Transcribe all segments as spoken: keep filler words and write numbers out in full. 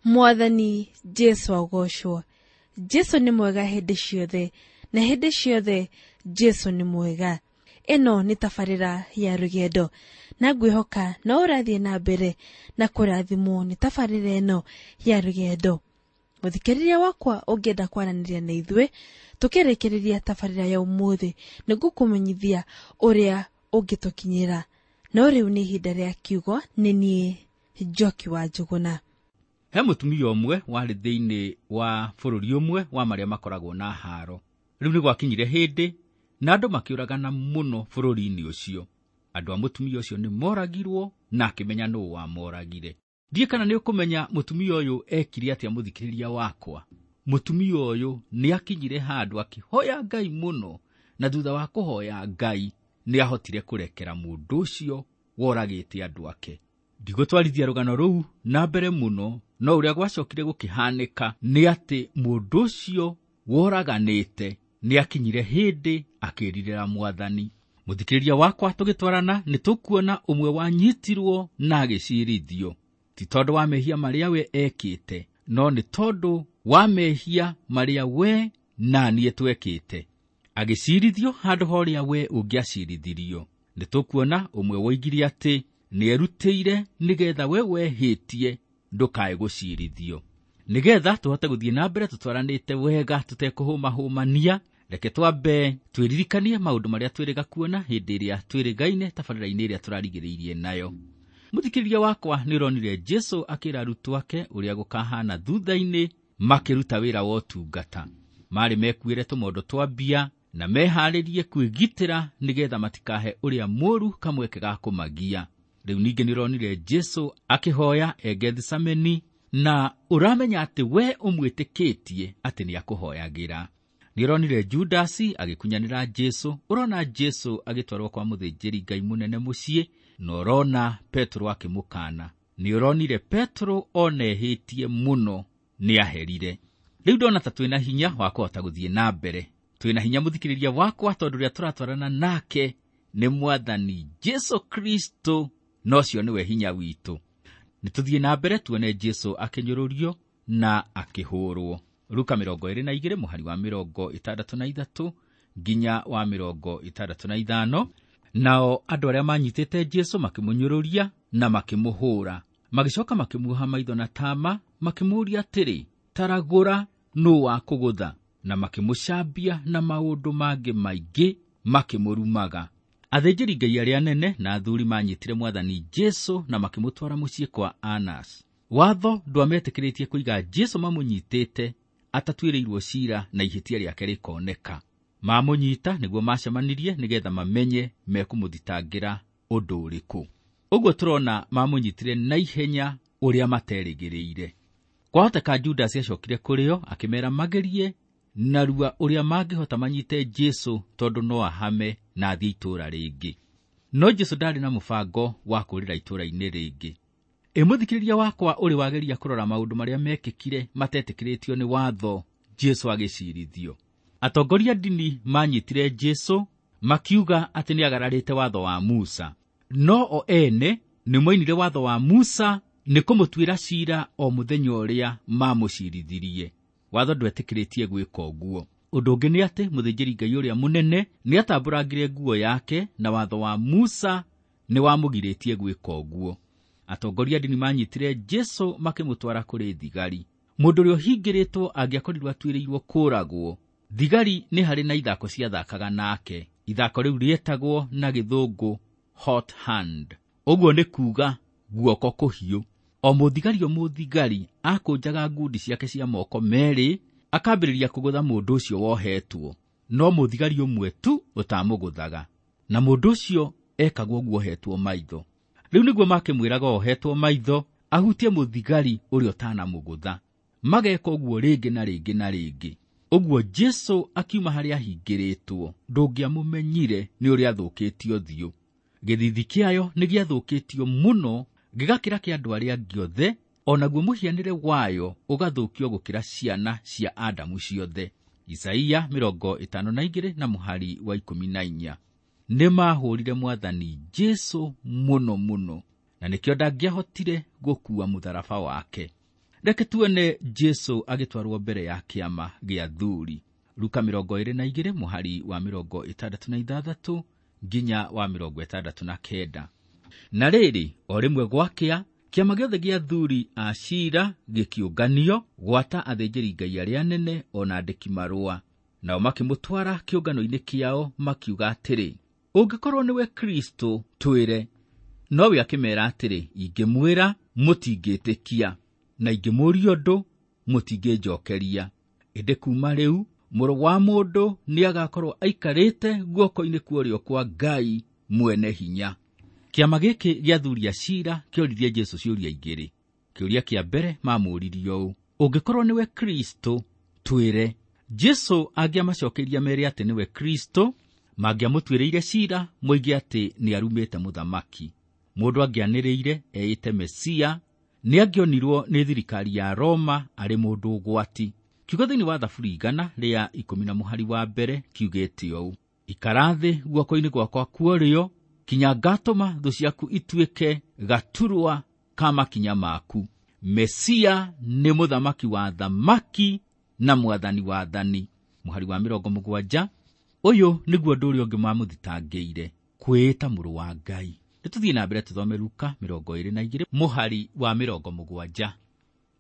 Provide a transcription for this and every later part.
Mwathani Jesu agocwo. Jesu nĩ mwega hĩndĩ ciothe, na hĩndĩ ciothe Jesu nĩ mwega. Ĩno nĩ tabarĩra ya rũgendo, na ngwĩhoka no ũrathiĩ na mbere na kũrathimwo nĩ tabarĩra ĩno ya rũgendo. Mũthikĩrĩria wakwa, ũngĩenda kwaranĩria na ithuĩ tũkĩrĩkĩrĩria tabarĩra ya ũmũthĩ, nĩngũkũmenyithia ũrĩa ũngĩtũkinyĩra. No rĩu nĩ ihinda rĩa kiugo, nĩ niĩ Njoki wa Njũgũna. He mũtumia ũmwe warĩ thĩinĩ wa bũrũri ũmwe wa marĩa makoragwo na haro. Rĩu nĩ gwakinyire hĩndĩ na andũ makĩũragana mũno bũrũri-inĩ ũcio. Andũ a mũtumia ũcio nĩ moragirwo na akĩmenya nũũ wamoragire. Ndiĩ kana nĩ ũkũmenya mũtumia ũyũ ekire atĩa, mũthikĩrĩria wakwa. Mũtumia ũyũ nĩ akinyire handũ akĩhoya Ngai mũno, na thutha wa kũhoya Ngai nĩ ahotire kũrekera mũndũ ũcio woragĩte andũ ake. Ndigũtwarithia rũgano rũu na mbere mũno, no ũrĩa gwacokire gũkĩhanĩka nĩ atĩ mũndũ ũcio woraganĩte nĩ akinyire hĩndĩ akĩrirĩra Mwathani. Mũthikĩrĩria wakwa, tũgĩtwarana nĩ tũkuona ũmwe wanyitirwo na agĩcirithio, ti tondũ wa mehia marĩa we ekĩte, no nĩ tondũ wa mehia marĩa we na niĩ twekĩte. Agĩcirithio handũ ha ũrĩa we ũngĩacirithirio. Nĩ tũkuona ũmwe woigire atĩ nĩerutĩire nĩgetha we wehĩtie ndũkae gũcirithio. Nĩgetha tũhote gũthiĩ na mbere tũtwaranĩte wega tũtekũhũmahũmania, reke twambe twĩririkanie maũndũ marĩa twĩrĩga kuona hĩndĩ ĩrĩa twĩrĩgaine tabarĩra-inĩ ĩrĩa tũrarigĩrĩirie nayo. Mũthikĩrĩria wakwa, nĩ ũronire Jesu akĩra arutwo ake ũrĩa gũkahana thutha-inĩ makĩruta wĩra wa ũtungata. Marĩ mekuĩre tũmondo twa mbia na meharĩrie kwĩgitĩra nĩgetha matikahe ũrĩa mũru kamweke ga kũmagia. Rĩu ningĩ nĩ ũronire Jesu akĩhoya e Gethisemane, na ũramenya atĩ we ũmwĩtĩkĩtie atĩ nĩ akũhoyagĩra. Nĩ ũronire Judasi agĩkunyanĩra Jesu, ũrona Jesu agĩtwarwo kwa mũthĩnjĩri Ngai mũnene mũciĩ, na ũrona Petero akĩmũkana. Nĩ ũronire Petero onehĩtie mũno nĩ aherire. Rĩu ndona ta twĩna hinya wa kũhota gũthiĩ na mbere. Twĩna hinya, mũthikĩrĩria wakwa, tondũ ũrĩa tũratwarana nake nĩ Mwathani Jesu Kristo, na ũcio nĩwe hinya witũ. Nĩ tũthiĩ na mbere tuone Jesu akĩnyũrũrio na akĩhũrwo. Luka mĩrongo ĩrĩ na igĩrĩ mũhari wa mĩrongo ĩtandatũ na ithatũ nginya wa mĩrongo ĩtandatũ na ithano. Nao andũ arĩa manyitĩte Jesu makĩmũnyũrũria na makĩmũhũra, magĩcoka makĩmuoha maitho na tama, makĩmũũria atĩrĩ, taragũra, nũ wakũgũtha? Na makĩmũcambia na maũndũ mangĩ maingĩ makĩmũrumaga. Athĩnjĩri Ngai arĩa anene na athuri manyitire Mwathani Jesu na makĩmũtwara mũciĩ kwa Anas. Watho ndwametĩkĩrĩtie kũiga Jesu mamũnyitĩte atatuĩrĩirwo cira na ihĩtia rĩake rĩkoneka. Mamũnyita nĩguo macemanirie nĩgetha mamenye mekũmũthitangĩra ũndũ ũrĩkũ. Ũguo tũrona mamũnyitire na ihenya ũrĩa materĩgĩrĩire. Kwahoteka Judasi acokire kũrĩ o akĩmeera magerie narua ũrĩa mangĩhota manyite Jesu, tondũ no ahame na athiĩ itũũra rĩngĩ. No Jesu ndarĩ na mũbango wa kũũrĩra itũũra-inĩ rĩngĩ. Ĩ mũthikĩrĩria wakwa, ũrĩ wageria kũrora maũndũ marĩa mekĩkire matetĩkĩrĩtio nĩ watho Jesu agĩcirithio. Atongoria ndini manyitire Jesu makiuga atĩ nĩ agararĩte watho wa Musa, no o ene nĩ moinire watho wa Musa nĩ kũmũtuĩra cira o mũthenya ũrĩa mamũcirithirie. Watho ndwetĩkĩrĩtie gwĩka ũguo. Ũndũ ũngĩ nĩ atĩ mũthĩnjĩri Ngai ũrĩa mũnene nĩ atambũrangire nguo yake, na watho wa Musa nĩ wamũgirĩtie gwĩka ũguo. Atongoria ndini manyitire Jesu makĩmũtwara kũrĩ thigari. Mũndũ ũrĩa ũhingĩrĩtwo angĩakorirwo atuĩrĩirwo kũũragwo, thigari nĩ harĩ na ithako ciathakaga nake. Ithako rĩu rĩetagwo na gĩthũngũ hot hand, ũguo nĩ kuuga guoko kũhiũ. O mũthigari o mũthigari akũnjaga ngundi ciake cia moko merĩ akambĩrĩria kũgũtha mũndũ ũcio wohetwo, no mũthigari ũmwe tu ũtamũgũthaga, na mũndũ ũcio ekagwo ũguo ohetwo maitho. Rĩu nĩguo makĩmwĩraga ohetwo maitho ahutie mũthigari ũrĩa ũtanamũgũtha. Mageka ũguo rĩngĩ na rĩngĩ na rĩngĩ. Ũguo Jesu akiuma harĩa ahingĩrĩtwo, ndũngĩamũmenyire nĩ ũrĩa athũkĩtio ũthiũ. Gĩthithi kĩayo nĩ gĩathũkĩtio mũno gĩgakĩra kĩa andũ arĩa angĩ othe, o naguo mũhianĩre wayo ũgathũkio gũkĩra ciana cia Adamu ciothe. Isaia mĩrongo ĩtano na igĩrĩ na mũhari wa ikũmi na inya. Nĩ mahũrire Mwathani Jesu mũno mũno, na nĩkĩo ndangĩahotire gũkua mũtharaba wake. Reke tuone Jesu agĩtwarwo mbere ya kĩama gĩa athuri. Luka mĩrongo ĩrĩ na igĩrĩ mũhari wa mĩrongo ĩtandatũ na ithathatũ nginya wa mĩrongo ĩtandatũ na kenda. Na rĩrĩ, o rĩmwe gwakĩa, kĩama gĩothe gĩa athuri a ciira gĩkĩũnganio gwata athĩnjĩri-Ngai arĩa anene o na andĩki marũa. Nao makĩmũtwara kĩũngano-inĩ kĩao makiuga atĩrĩ, ũngĩkorwo nĩwe Kristo twĩre. Nowe akĩmeera atĩrĩ, ingĩmwĩra mũtingĩtĩkia, na ingĩmũũria ũndũ mũtingĩnjokeria. Ĩndĩ kuuma rĩu mũrũ wa mũndũ nĩagakorwo aikarĩte guoko-inĩ kwa ũrĩo kwa Ngai mwene hinya. Kĩama gĩkĩ gĩa athuri a ciira kĩoririe Jesu ciũria igĩrĩ. Kĩũria kĩa mbere mamũũririe ũũ, ũngĩkorwo nĩwe Kristo twĩre. Jesu angĩamacokeirie mere atĩ nĩwe Kristo, mangĩamũtuĩrĩire ciira moige atĩ nĩarumĩte mũthamaki. Mũndũ angĩanĩrĩire eĩte Mesia, nĩangĩonirwo nĩ thirikari ya Roma arĩ mũndũ ũgwati. Kiugo thĩinĩ wa Thaburi igana rĩa ikũmi na mũhari wa mbere kiugĩte ũũ, ikara thĩ guoko-inĩ gwakwa kwa ũrĩo kinya ngatũma thũ ciaku ituĩke gaturwa ka makinya maku. Mesia nĩ mũthamaki wa thamaki na mwathani wa athani. Mũhari wa mĩrongo mũgwanja, ũyũ nĩguo ũndũ ũrĩa ũngĩ mamũthitangĩire, kwĩĩta mũrũ wa Ngai. Nĩtũthiĩ na mbere tũthome Luka mĩrongo ĩrĩ na igĩrĩ mũhari wa mĩrongo mũgwanja.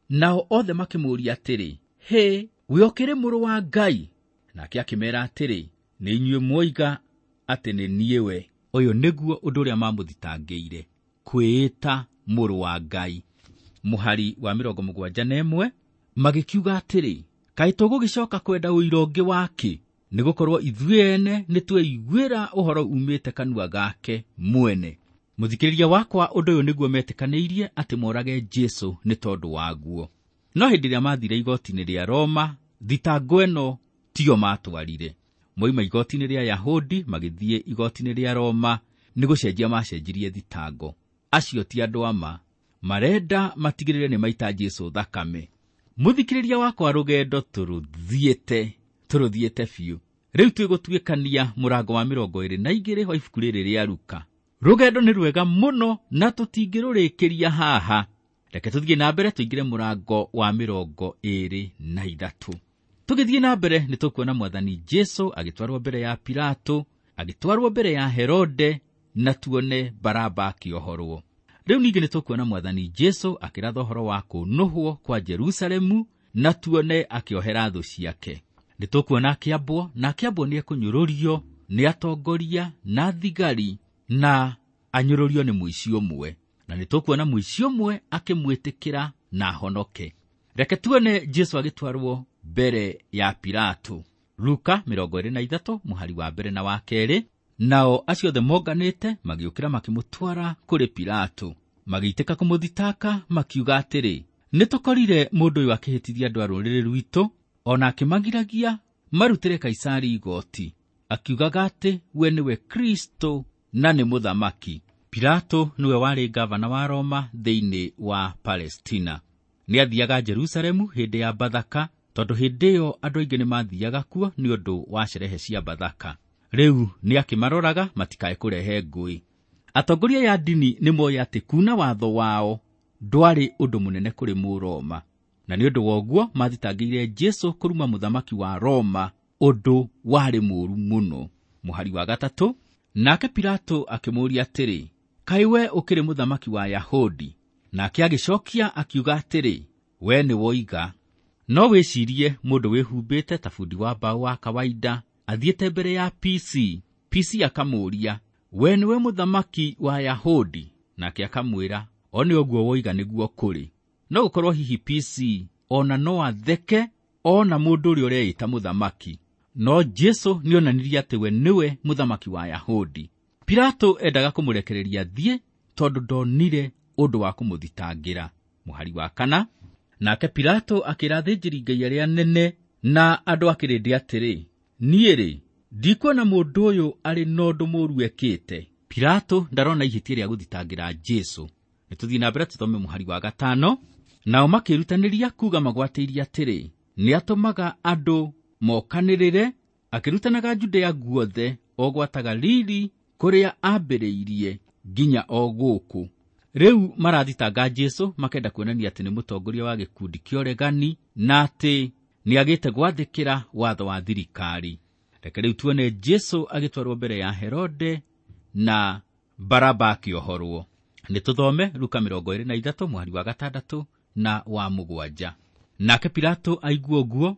Nao othe makĩmũũria atĩrĩ, hĩ, we ũkĩrĩ mũrũ wa Ngai? Nake akĩmeera atĩrĩ, nĩ inyuĩ mwoiga atĩ nĩ niĩ we. Ũyũ nĩguo ũndũ ũrĩa mamũthitangĩire, kwĩĩta mũrũ wa Ngai. Mũhari wa mĩrongo mũgwanja na ĩmwe, magĩkiuga atĩrĩ, kaĩ tũgũgĩcoka kwenda ũira ũngĩ wake? Nĩgũkorwo ithuĩ ene nĩtweiguĩra ũhoro umĩte kanua gake mwene. Mũthikĩrĩria wakwa, ũndũ ũyũ nĩguo metĩkanĩirie atĩ morage Jesu nĩ tondũ waguo. No hĩndĩ ĩrĩa mathire igoti-inĩ rĩa Roma, thitango ĩno tiyo matwarire. Moima igoti-inĩ rĩa Yahudi magĩthiĩ igoti-inĩ rĩa Roma, nĩ gũcenjia macenjirie thitango. Acio ti andũ ama, marenda matigĩrĩre nĩ maita Jesu thakame. Mũthikĩrĩria wakwa, rũgendo tũrũthiĩte, tũrũthiĩte biũ. Rĩu twĩgũtuĩkania mũrango wa mĩrongo ĩrĩ na igĩrĩ wa ibuku rĩrĩ rĩa Luka. Rũgendo nĩ rwega mũno na tũtingĩrũrĩkĩria haha. Reke tũthiĩ na mbere tũingĩre mũrango wa mĩrongo ĩrĩ na ithatũ. Tũgĩthiĩ na mbere nĩ tũkuona mwathani Jesu agĩtwarwo mbere ya Pilato, agĩtwarwo mbere ya Herode, na tuone Baraba akĩohorwo. Rĩu ningĩ nĩ tũkuona mwathani Jesu akĩratha ũhoro wa kũnũhwo kwa Jerusalemu, na tuone akĩohera thũ ciake. Nĩ tũkuona akĩambwo, na akĩambwo nĩ ekũnyũrũrio nĩ atongoria na thigari, na anyũrũrio nĩ mũici ũmwe. Na nĩ tũkuona mũici ũmwe akĩmwĩtĩkĩra na ahonoke. Reke tuone Jesu agĩtwarwo mbere ya Pilato. Luka mĩrongo ĩrĩ na ithatũ mũhari wa mbere na wa kerĩ. Nao acio othe monganĩte magĩũkĩra makĩmũtwara kũrĩ Pilato. Magĩitĩka kũmũthitaka makiuga atĩrĩ, nĩtũkorire mũndũ ũyũ akĩhĩtithia andũ a rũrĩrĩ rwitũ, ona akĩmagiragia marutĩre Kaisari igoti, akiugaga atĩ we nĩwe Kristo na nĩ mũthamaki. Pilato nĩwe warĩ gavana wa Roma thĩinĩ wa Palestina. Nĩathiaga Jerusalemu hĩndĩ ya Bathaka, tondũ hĩndĩ ĩyo andũ aingĩ nĩmathiaga kuo nĩ ũndũ wa sherehe cia Bathaka. Rĩu nĩakĩmaroraga matikae kũrehe ngũĩ. Atongoria ya ndini nĩmoĩ atĩ kuna watho wao ndwarĩ ũndũ mũnene kũrĩ Mũroma, na nĩ ũndũ wa ũguo mathitangĩire Jesu kũruma mũthamaki wa Roma, ũndũ warĩ mũũru mũno. Mũhari wa gatatũ, nake Pilato akĩmũũria atĩrĩ, kaĩ we ũkĩrĩ mũthamaki wa Yahudi? Nake agĩcokia akiuga atĩrĩ, we nĩ woiga. No wĩcirie mũndũ wĩhumbĩte ta bundi wa mbaũ wa kawaida athiĩte mbere ya P C. P C akamũũria, we nĩwe mũthamaki wa Yahudi? Nake akamwĩra, o nĩ ũguo woiga nĩguo kũrĩ. No gũkorwo hihi P C ona no atheke ona mũndũ ũrĩa ũreĩta mũthamaki. No Jesu nĩonanirie atĩ we nĩwe mũthamaki wa Yahudi. Pilato endaga kũmũrekereria athiĩ tondũ ndonire ũndũ wa kũmũthitangĩra. Mũhari wa kana, nake Pilato akĩra athĩnjĩri-Ngai arĩa anene na andũ a kĩrĩndĩ atĩrĩ, niĩ-rĩ, ndikuona mũndũ ũyũ arĩ na ũndũ mũũru ekĩte. Pilato ndarona ihĩtia rĩa gũthitangĩra Jesu. Nĩtũthiĩ na mbere tũthome mũhari wa gatano. Nao makĩrutanĩria kuuga magwatĩirie atĩrĩ, nĩatũmaga andũ mokanĩrĩre, akĩrutanaga Judea guothe, o gwata Galili kũrĩa ambĩrĩirie nginya o gũkũ. Rĩu marathitanga Jesũ makenda kuonania atĩ nĩ mũtongoria wa gĩkundi kĩa ũregani na atĩ nĩagĩte gwathĩkĩra watho wa thirikari. Reke rĩu tuone Jesũ agĩtwarwo mbere ya Herode na Baraba akĩohorwo. Nĩ tũthome Luka mĩrongo ĩrĩ na ithatũ mũhari wa gatandatũ na wa mũgwanja. Nake Pilato aigua ũguo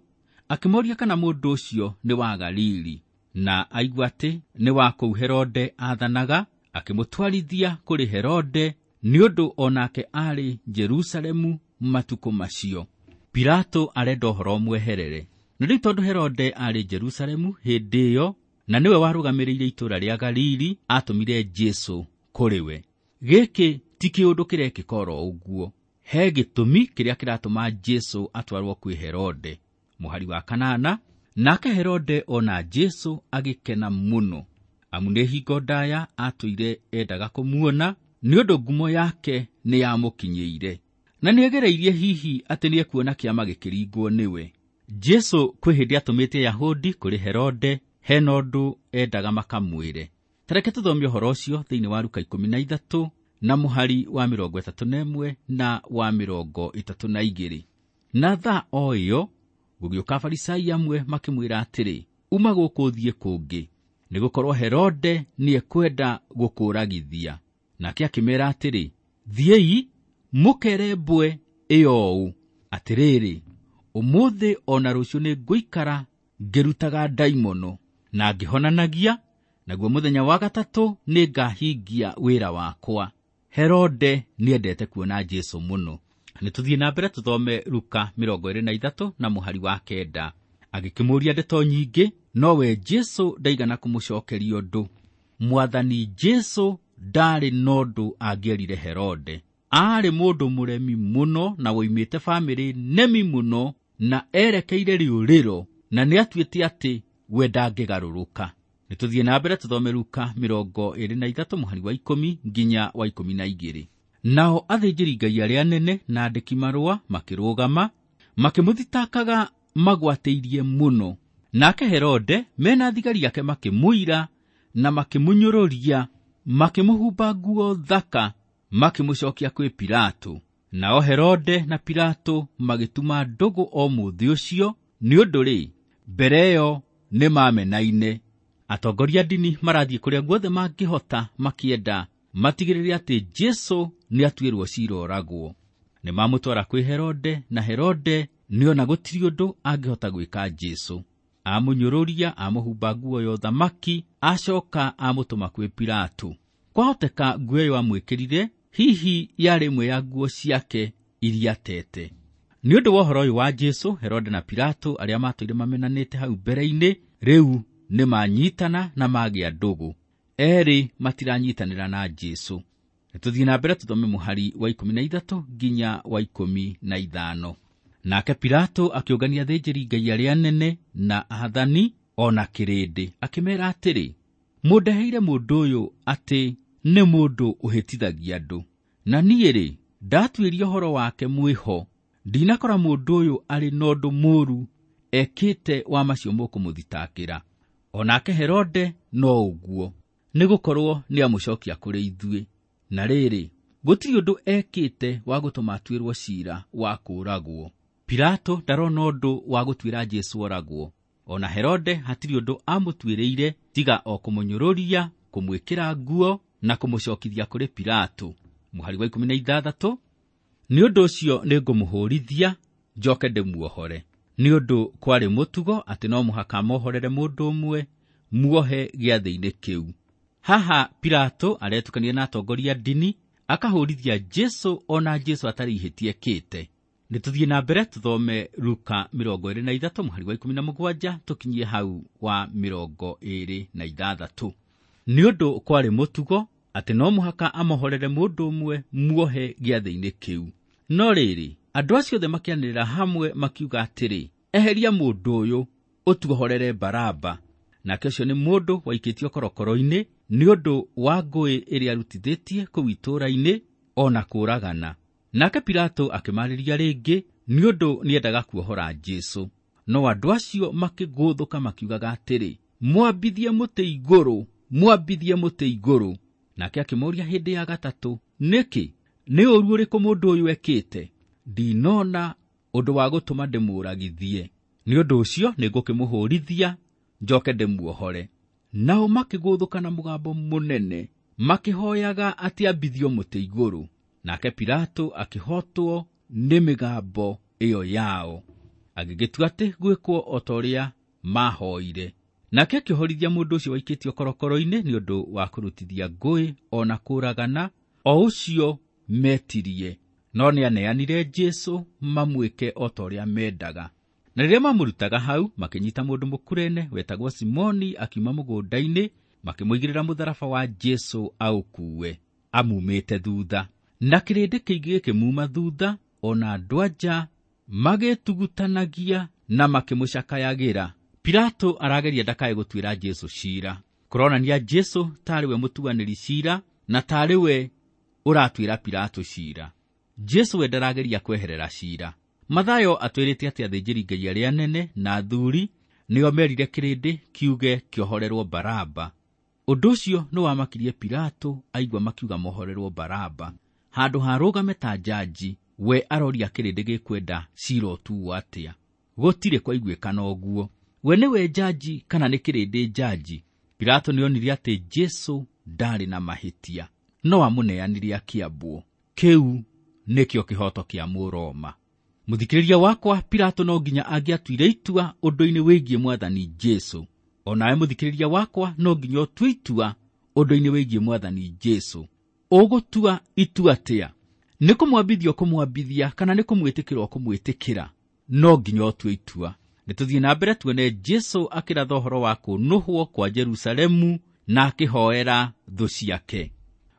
akĩmoria kana mũndũ ũcio nĩ wa Galili, na aigua atĩ nĩ wa kũu Herode aathanaga, akĩmũtwarithia kũrĩ Herode nĩ ũndũ o nake aarĩ Jerusalemu matukũ macio. Pilato arenda ũhoro mweherere. Na rĩu tondũ Herode aarĩ Jerusalemu hĩndĩ ĩyo na nĩwe warũgamĩrĩire itũũra rĩa Galili, atũmire Jesũ kũrĩ we. Gĩkĩ ti kĩũndũ kĩrekĩka oro ũguo. He gĩtũmi kĩrĩa kĩratũma Jesũ atwarwo kwĩ Herode. Mũhari wa kanana, nake Herode ona Jesũ agĩkena mũno, amu nĩ hingo ndaya atũire endaga kũmuona, nĩ ũndũ ngumo yake nĩ yamũkinyĩire, na nĩegereirie hihi atĩ nĩekuona kĩama gĩkĩringwo nĩwe. Jesũ kwĩ hĩndĩ atũmĩte Yahudi kũrĩ Herode hena ũndũ endaga makamwĩre. Tareke tũthome ũhoro ũcio thĩinĩ wa Luka ikũmi na ithatũ na mũhari wa mĩrongo ĩtatũ na ĩmwe na wa mĩrongo ĩtatũ na igĩrĩ. Na thaa o ĩyo gũgĩũka Afarisai amwe makĩmwĩra atĩrĩ, uma gũkũ ũthiĩ kũngĩ, nĩgũkorwo Herode nĩekwenda gũkũũragithia. Nake akĩmeera atĩrĩ, thiĩi mũkere mbwe ĩyo ũũ, atĩrĩrĩ, ũmũthĩ o na rũciũ nĩngũikara ngĩrutaga ndaimono na ngĩhonanagia, naguo mũthenya wa gatatũ nĩngahingia wĩra wakwa. Herode nĩendete kuona Jesũ mũno. Nĩ tũthiĩ na mbere tũthome Luka mĩrongo ĩrĩ na ithatũ na mũhari wa kenda. Agĩkĩmũũria ndeto nyingĩ, nowe Jesũ ndaigana kũmũcokeria ũndũ. Mwathani Jesũ ndarĩ na ũndũ angĩerire Herode. Aarĩ mũndũ mũremi mũno na woimĩte bamĩrĩ nemi mũno, na erekeire rĩũrĩro, na nĩatuĩte atĩ we ndangĩgarũrũka. Nĩ tũthiĩ na mbere tũthome Luka mĩrongo ĩrĩ na ithatũ mũhari wa ikũmi nginya wa ikũmi na igĩrĩ. Nao athĩnjĩri-Ngai arĩa anene na andĩki marũa makĩrũgama, makĩmũthitakaga magwatĩirie mũno. Nake Herode mena thigari ake makĩmũira na makĩmũnyũrũria, makĩmũhumba nguo thaka, makĩmũcokia kwĩ Pilato. Nao Herode na Pilato magĩtuma ndũgũ o mũthĩ ũcio, nĩ ũndũ rĩ, mbere ĩyo nĩmamenaine. Atongoria a ndini marathiĩ kũrĩa guothe mangĩhota makĩenda matigĩrĩre atĩ Jesũ nĩatuĩrwo ciira oragwo. Nĩmamũtwara kwĩ Herode, na Herode nĩona gũtirĩ ũndũ angĩhota gwĩka Jesũ. Amũnyũrũria, amũhumba nguo ya ũthamaki, acoka amũtũma kwĩ Pilato. Kwahoteka nguo ĩyo amwĩkĩrire hihi yarĩ ĩmwe ya nguo ciake iria atete. Nĩ ũndũ wa ũhoro ũyũ wa Jesũ, Herode na Pilato arĩa matũire mamenanĩte hau mbere-inĩ, rĩu nĩmanyitana na magĩa ndũgũ. Erĩ matiranyitanĩra na Jesũ. Nĩtũthiĩ na mbere tũthome mũhari wa ikũmi na ithatũ nginya wa ikũmi na ithano. Nake Pilato akĩũngania athĩnjĩri-Ngai arĩa anene na aathani o na kĩrĩndĩ, akĩmeera atĩrĩ, mũndeheire mũndũ ũyũ atĩ nĩ mũndũ ũhĩtithagia andũ, na niĩ-rĩ, ndatuĩria ũhoro wake mwĩho, ndinakora mũndũ ũyũ arĩ na ũndũ mũũru ekĩte wa macio mũkũmũthitakĩra. O nake Herode no ũguo, nĩgũkorwo nĩamũcokia kũrĩ ithuĩ. Na rĩrĩ, gũtirĩ ũndũ ekĩte wa gũtũma atuĩrwo ciira wa kũũragwo. Pilato ndarona ũndũ wa gũtuĩra Jesũ oragwo. O na Herode hatirĩ ũndũ amũtuĩrĩire tiga o kũmũnyũrũria, kũmwĩkĩra nguo na kũmũcokithia kũrĩ Pilato. Mũhari wa ikũmi na ithathatũ, nĩ ũndũ ũcio nĩngũmũhũrithia njoke ndĩmuohore. Nĩ ũndũ kwarĩ mũtugo atĩ no mũhaka mohorere mũndũ ũmwe muohe gĩathĩ-inĩ kĩu. Haha Pilato aretukania na atongoria ndini, akahũrithia Jesũ ona Jesũ atarĩ ihĩtia ekĩte. Nĩ tũthiĩ na mbere tũthome Luka mĩrongo ĩrĩ na ithatũ mũhari wa ikũmi na mũgwanja tũkinyie hau wa mĩrongo ĩrĩ na ithathatũ. Nĩ ũndũ kwarĩ mũtugo atĩ no mũhaka amohorere mũndũ ũmwe muohe gĩathĩ-inĩ kĩu. No rĩrĩ, andũ acio othe makĩanĩrĩra hamwe makiuga atĩrĩ, eheria mũndũ ũyũ, ũtuohorere Baraba. Nake ũcio nĩ mũndũ waikĩtio korokoro-inĩ nĩ ũndũ wa ngũĩ ĩrĩa arutithĩtie kũu itũũra-inĩ o na kũũragana. Nake Pilato akĩmarĩria rĩngĩ nĩ ũndũ nĩendaga kuohora Jesũ. No andũ acio makĩgũthũka makiugaga atĩrĩ, mwambithie mũtĩ igũrũ, mwambithie mũtĩ igũrũ. Nake akĩmũũria hĩndĩ ya gatatũ, nĩkĩ? Nĩ ũũru ũrĩkũ mũndũ ũyũ ekĩte? Ndinona ũndũ wa gũtũma ndĩmũũragithie. Nĩ ũndũ ũcio nĩngũkĩmũhũũrithia njoke ndĩmuohore. Nao makĩgũthũka na mũgambo mũnene makĩhoyaga atĩ ambithio mũtĩ igũrũ. Nake Pilato akĩhotwo nĩ mĩgambo ĩyo yao, agĩgĩtua atĩ gwĩkwo o ta ũrĩa maahoire. Nake akĩhorithia mũndũ ũcio waikĩtio korokoro-inĩ nĩ ũndũ wa kũrutithia ngũĩ o na kũũragana, o ũcio metirie, no nĩaneanire Jesũ mamwĩke o ta ũrĩa mendaga. Na rĩrĩa mamũrutaga hau, makĩnyita mũndũ mũkurene wetagwo Simoni akiuma mũgũnda-inĩ, makĩmũigĩrĩra mũtharaba wa Jesũ aũkuue amumĩte thutha. Na kĩrĩndĩ kĩingĩ gĩkĩmuma thutha, o na andũ anja magĩtugutanagia na makĩmũcakayagĩra. Pilato arageria ndakae gũtuĩra Jesũ ciira. Kũronania Jesũ tarĩ we mũtuanĩri ciira na tarĩ we ũratuĩra Pilato ciira. Jesũ we ndarageria kweherera ciira. Mathayo atwĩrĩte atĩ athĩnjĩri-Ngai arĩa anene na athuuri nĩo merire kĩrĩndĩ kiuge kĩohorerwo Baraba. Ũndũ ũcio nĩwamakirie Pilato aigua makiuga mohorerwo Baraba. Handũ harũgame ta njanji, we aroria kĩrĩndĩ gĩkwenda ciira ũtuo atĩa. Gũtirĩ kwaiguĩkana ũguo. We nĩwe njanji kana nĩ kĩrĩndĩ njanji? Pilato nĩonire atĩ Jesũ ndarĩ na mahĩtia, no amũneanire akĩambwo. Kĩu nĩkĩo kĩhoto kĩa Mũroma. Mũthikĩrĩria wakwa, Pilato no nginya angĩatuire itua ũndũ-inĩ wĩgiĩ mwathani Jesũ. O nawe mũthikĩrĩria wakwa no nginya ũtue itua ũndũ-inĩ wĩgiĩ mwathani Jesũ. Ũgũtua itua atĩa? Nĩ kũmwambithia ũkũmwambithia kana nĩ kũmwĩtĩkĩra ũkũmwĩtĩkĩra? No nginya ũtue itua. Nĩ tũthiĩ na mbere tuone Jesũ akĩratha ũhoro wa kũnũhwo kwa Jerusalemu na akĩhoera thũ ciake.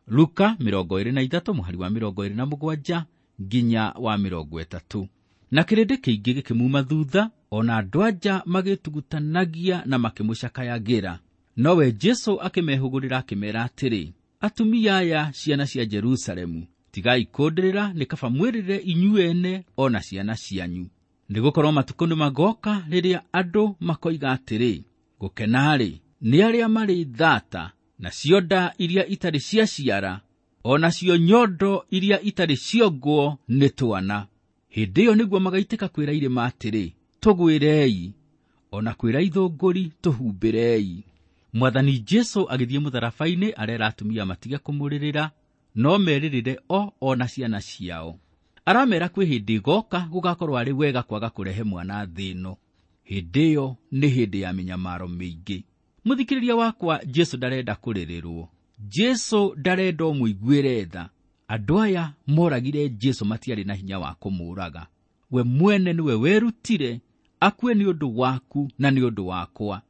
Luka mĩrongo ĩrĩ na ithatũ mũhari wa mĩrongo ĩrĩ na mũgwanja nginya wa mĩrongo ĩtatũ. Na kĩrĩndĩ kĩingĩ gĩkĩmuma thutha, o na andũ anja magĩtugutanagia na makĩmũcakayagĩra. Nowe Jesũ akĩmehũgũrĩra akĩmeera atĩrĩ, atumia aya ciana cia Jerusalemu, tigai kũndĩrĩra, nĩ kaba mwĩrĩre inyuĩ ene o na ciana cianyu. Nĩgũkorwo matukũ nĩmagoka rĩrĩa andũ makoiga atĩrĩ, gũkena-rĩ nĩ arĩa marĩ thata, nacio nda iria itarĩ ciaciara, o nacio nyondo iria itarĩ ciongwo nĩ twana. Hĩndĩ ĩyo nĩguo magaitĩka kwĩra irĩma atĩrĩ, tũgwĩrei, o na kwĩra ithũngũri, tũhumbĩrei. Mwathani Jesũ agĩthiĩ mũtharaba-inĩ arera atumia matige kũmũrĩrĩra, no merĩrĩre o o na ciana ciao. Aramera kwĩ hĩndĩ ĩgoka gũgakorwo arĩ wega kwaga kũrehe mwana thĩ ĩno. Hĩndĩ ĩyo nĩ hĩndĩ ya mĩnyamaro mĩingĩ. Mũthikĩrĩria wakwa, Jesũ ndarenda kũrĩrĩrwo. Jesũ ndarenda ũmũiguĩre tha. Andũ aya moragire Jesũ matiarĩ na hinya wa kũmũũraga. We mwene nĩwe werutire akue nĩ ũndũ waku na nĩ ũndũ wakwa.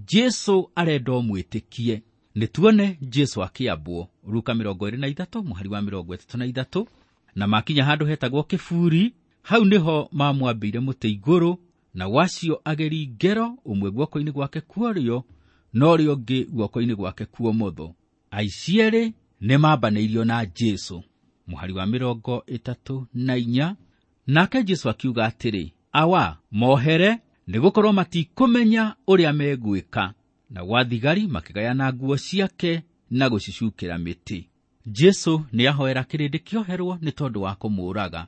Jesũ arenda ũmwĩtĩkie. Nĩ tuone Jesũ akĩambwo. Luka mĩrongo ĩrĩ na ithatũ mũhari wa mĩrongo ĩtatũ na ithatũ. Na makinya handũ hetagwo kĩburi, hau nĩho mamwambĩire mũtĩ igũrũ, na wacio ageri ngero, ũmwe guoko-inĩ gwake kuorĩo na ũrĩa ũngĩ guoko-inĩ gwake kuomotho. Aici erĩ nĩmambanĩirio na Jesũ. Mũhari wa mĩrongo ĩtatũ na inya. Nake Jesũ akiuga atĩrĩ, awa, mohere, nĩgũkorwo matikũmenya ũrĩa megwĩka. Na gwathigari makĩgayana nguo ciake na gũcicukĩra mĩtĩ. Jesũ nĩahoera kĩrĩndĩ kĩoherwo nĩ tondũ wa kũmũũraga.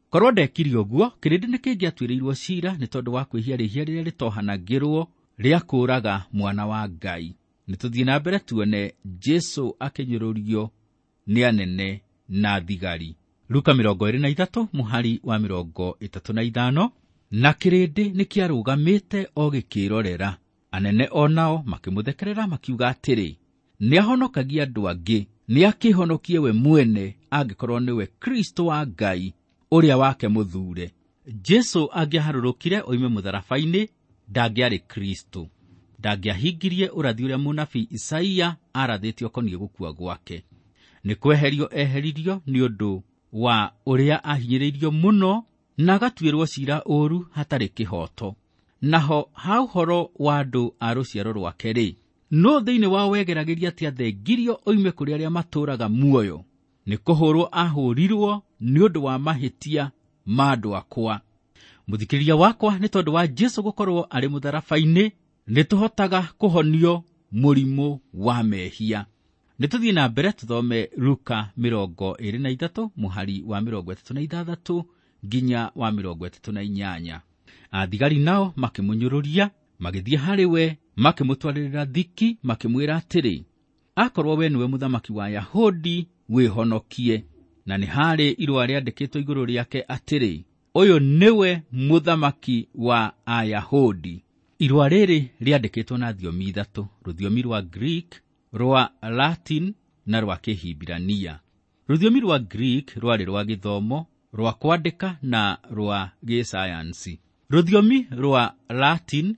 Korwo ndekire ũguo, kĩrĩndĩ nĩkĩngĩatuĩrĩirwo ciira nĩ tondũ wa kwĩhia rĩhia rĩrĩa rĩtohanagĩrwo rĩa kũũraga mwana wa Ngai. Nĩ tũthiĩ na mbere tuone Jesũ akĩnyũrũrio nĩ anene na thigari. Luka mĩrongo ĩrĩ na ithatũ mũhari wa mĩrongo ĩtatũ na ithano. Na kĩrĩndĩ nĩkĩarũgamĩte o gĩkĩrorera. Anene o nao makĩmũthekerera makiuga atĩrĩ, nĩahonokagia andũ angĩ, nĩakĩhonokie we mwene angĩkorwo nĩwe Kristo wa Ngai ũrĩa wake mũthure. Jesũ angĩaharũrũkire oime mũtharaba-inĩ, ndangĩarĩ Kristo. Ndangĩahingirie ũrathi ũrĩa mũnabii Isaia arathĩte ũkoniĩ gũkua gwake. Nĩ kweherio eheririo nĩ ũndũ wa ũrĩa ahinyĩrĩirio mũno na agatuĩrwo ciira ũũru hatarĩ kĩhooto. Naho ha ũhoro wa andũ a rũciaro rwake-rĩ, no thĩinĩ wao wegeragĩria atĩ athengirio oime kũrĩ arĩa matũũraga muoyo. Nĩ kũhũrwo ahũrirwo nĩ ũndũ wa mahĩtia ma andũ akwa. Mũthikĩrĩria wakwa, nĩ tondũ wa Jesũ gũkorwo arĩ mũtharaba-inĩ, nĩ tũhotaga kũhonio mũrimũ wa mehia. Nĩ tũthiĩ na mbere tũthome Luka mĩrongo ĩĩrĩ na ithatũ mũhari wa mĩrongo ĩtatũ na ithathatũ nginya wa mĩrongo ĩtatũ na inyanya. Athigari nao makĩmũnyũrũria, magĩthiĩ harĩ we, makĩmũtwarĩrĩra thiki, makĩmwĩra atĩrĩ, akorwo we nĩwe mũthamaki wa Ayahudi, wĩhonokie. Na nĩ harĩ irũa rĩandĩkĩtwo igũrũ rĩake atĩrĩ, ũyũ nĩwe mũthamaki wa Ayahudi. Irũa rĩrĩ rĩandĩkĩtwo na thiomi ithatũ, rũthiomi rwa Greek, rwa Latin na rwa Kĩhibirania. Rũthiomi rwa Greek rwarĩ rwa gĩthomo, rwa kwandĩka na rwa gĩsayansi. Rũthiomi rwa Latin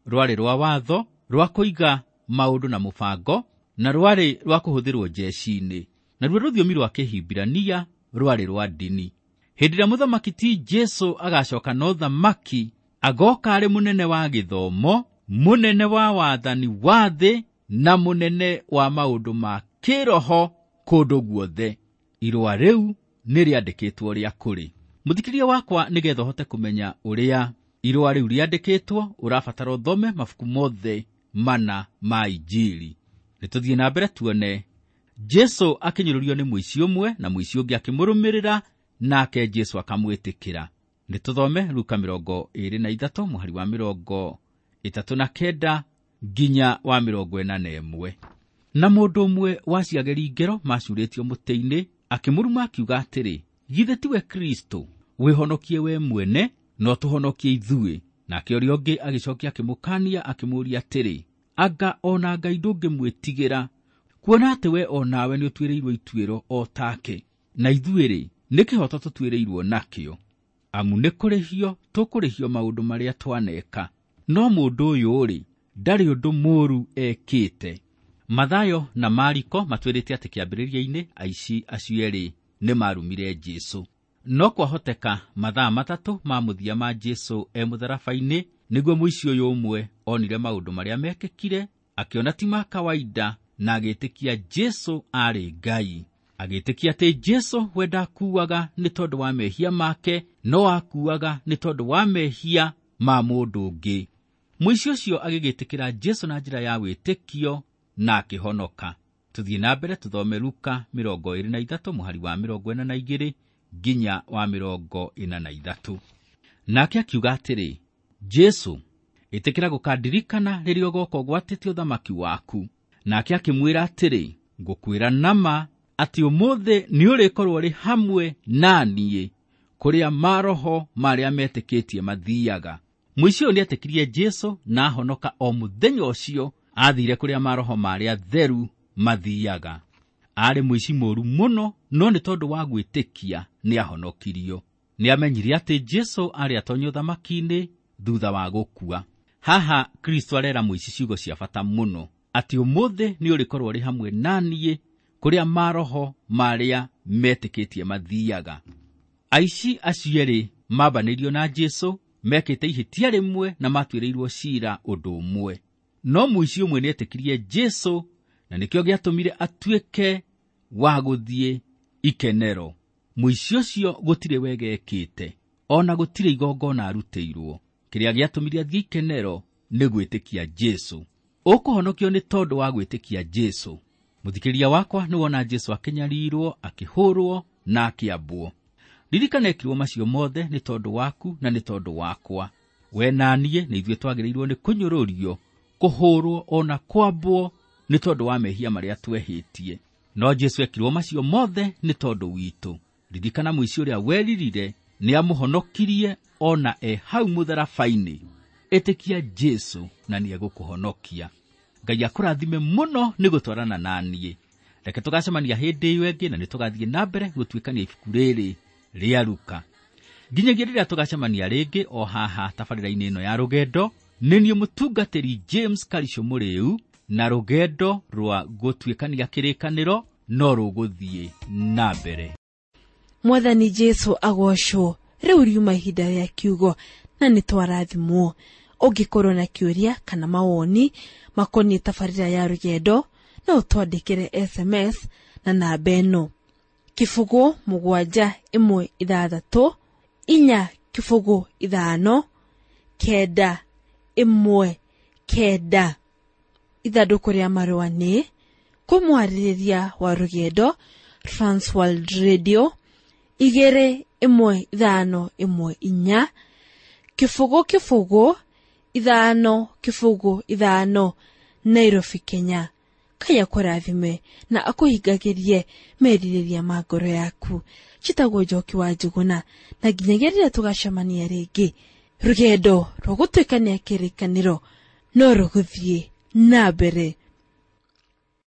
rwarĩ rwa watho, rwa kũiga maũndũ na mũbango, na rwarĩ rwa kũhũthĩrwo jeshi-inĩ. Naruo rũthiomi rwa Kĩhibirania rwarĩ rwa ndini. Hĩndĩ ĩrĩa mũthamaki ti Jesũ agacoka na ũthamaki, agoka arĩ mũnene wa gĩthomo, mũnene wa wathani wa thĩ, na mũnene wa maũndũ ma kĩroho kũndũ guothe. Irũa rĩu nĩ rĩandĩkĩtwo rĩa kũrĩ. Mũthikĩria wakwa, nĩgetha ũhote kũmenya ũrĩa irũa rĩu rĩandĩkĩtwo, ũrabatara ũthome mabuku mothe mana ma Injiri. Nĩ tũthiĩ na mbere tuone Jesũ akĩnyũrũrio nĩ mũici ũmwe na mũici ũngĩ akĩmũrũmĩrĩra, nake Jesũ akamwĩtĩkĩra. Nĩ tũthome Luka mĩrongo ĩĩrĩ na ithatũ mũhari wa mĩrongo ĩtatũ na kenda nginya wa mĩrongo ĩna na ĩmwe. Na mũndũ ũmwe wa ciageri ngero macurĩtio mũtĩ-inĩ akĩmũruma akiuga atĩrĩ, githĩ tiwe Kristo? Wĩhonokie we mwene, no tũhonokie ithuĩ. Nake ũrĩa ũngĩ agĩcokia akĩmũkania akĩmũũria atĩrĩ, anga ona Ngai ndũngĩmwĩtigĩra, kuona atĩ we o nawe nĩũtuĩrĩirwo ituĩro o take, na ithuĩ-rĩ, nĩ kĩhooto tũtuĩrĩirwo nakĩo, amu nĩ kũrĩhio tũkũrĩhio maũndũ marĩa twaneka. No mũndũ ũyũ-rĩ, ndarĩ ũndũ mũũru ekĩte. Mathayo na Mariko matwĩrĩte atĩ kĩambĩrĩria-inĩ aici acio erĩ nĩ marumire Jesũ. No kwahoteka mathaa matatũ ma mũthia ma Jesũ e mũtharaba-inĩ nĩguo mũici ũyũ ũmwe onire maũndũ marĩa mekĩkire, akĩona ti ma kawaida, na agĩtĩkia Jesũ aarĩ Ngai. Agĩtĩkia atĩ Jesũ we ndakuaga nĩ tondũ wa mehia make, no akuaga nĩ tondũ wa mehia ma mũndũ ũngĩ. Mũici ũcio agĩgĩtĩkĩra Jesũ na njĩra ya wĩtĩkio na akĩhonoka. Tũthiĩ na mbere tũthome Luka mĩrongo ĩĩrĩ na ithatũ mũhari wa mĩrongo ĩna na igĩrĩ nginya wa mĩrongo ĩna na ithatũ. Nake akiuga atĩrĩ, Jesũ, ĩtĩkĩra gũkandirikana rĩrĩa ũgooka ũgwatĩte ũthamaki waku. Nake akĩmwĩra atĩrĩ, ngũkwĩra nama atĩ ũmũthĩ nĩũrĩkorwo ũrĩ hamwe na niĩ kũrĩa maroho marĩa metĩkĩtie mathiaga. Mũici ũyũ nĩetĩkirie Jesũ na ahonoka o mũthenya ũcio aathiire kũrĩa maroho marĩa theru mathiaga. Aarĩ mũici mũũru mũno, no nĩ tondũ wa gwĩtĩkia nĩahonokirio. Nĩamenyire atĩ Jesũ aarĩ atonye ũthamaki-inĩ thutha wa gũkua. Haha Kristo arera mũici ciugo cia bata mũno, atĩ ũmũthĩ nĩũrĩkorwo ũrĩ hamwe na niĩ kũrĩa maroho marĩa metĩkĩtie mathiaga. Aici acio erĩ mambanĩirio na Jesũ mekĩte ihĩtia rĩmwe na matuĩrĩirwo ciira ũndũ ũmwe. No mũici ũmwe nĩetĩkirie Jesũ na nĩkĩo gĩatũmire atuĩke wa gũthiĩ ikenero. Mũici ũcio gũtirĩ wega ekĩte, ona gũtirĩ igongona arutĩirwo. Kĩrĩa gĩatũmire athiĩ ikenero nĩ gwĩtĩkia Jesũ. Ũkũhonokio nĩ tondũ wa gwĩtĩkia Jesũ. Mũthikĩria wakwa, nĩwona Jesũ akĩnyarirwo, akĩhũrwo na akĩambwo. Ririkana ekirwo macio mothe nĩ tondũ waku na nĩ tondũ wakwa. We na niĩ nĩ ithuĩ twagĩrĩirwo nĩ kũnyũrũrio, kũhũrwo ona kwambwo nĩ tondũ wa mehia marĩa twehĩtie. No Jesũ ekirwo macio mothe nĩ tondũ witũ. Ririkana mũici ũrĩa weririre nĩamũhonokirie ona e hau mũtharaba-inĩ. Ĩtĩkia Jesũ na nĩegũkũhonokia. Ngai akũrathime mũno nĩ gũtwarana na niĩ. Reke tũgacemania hĩndĩ ĩyo ĩngĩ na nĩtũgathiĩ na mbere gũtuĩkania ibuku rĩrĩ rĩa Luka. Nginyagia rĩrĩa tũgacemania rĩngĩ o haha tabarĩra-inĩ ĩno ya rũgendo, nĩ niĩ mũtungatĩri James Karisho Mũrĩu, na rũgendo rwa gũtuĩkania kĩrĩkanĩro no rũgũthiĩ na mbere. Mwathani Jesũ agocwo. Rĩu riuma ihinda rĩa kiugo na nĩtwarathimwo. Ũngĩkorwo na kĩũria kana mawoni makoniĩ tabarĩra ya rũgendo, no ũtwandĩkĩre S M S na namba ĩno: kĩbũgũ mũgwanja ĩmwe ithathatũ inya kĩbũgũ ithano kenda ĩmwe kenda. Ithandũkũ rĩa marũa nĩ Kwĩ mwarĩrĩria wa rũgendo Transworld Radio igĩrĩ ĩmwe ithano ĩmwe inya kĩbũgũ kĩbũgũ ithano kĩbũgũ ithano Nairobi, Kenya. Ngai akũrathime na akũhingagĩrie merirĩria ma ngoro yaku. Njĩtagwo Njoki wa Njũgũna, na nginyagia rĩrĩa tũgacemania rĩngĩ, rũgendo rwa gũtuĩkania kĩrĩkanĩro no rũgũthiĩ na mbere.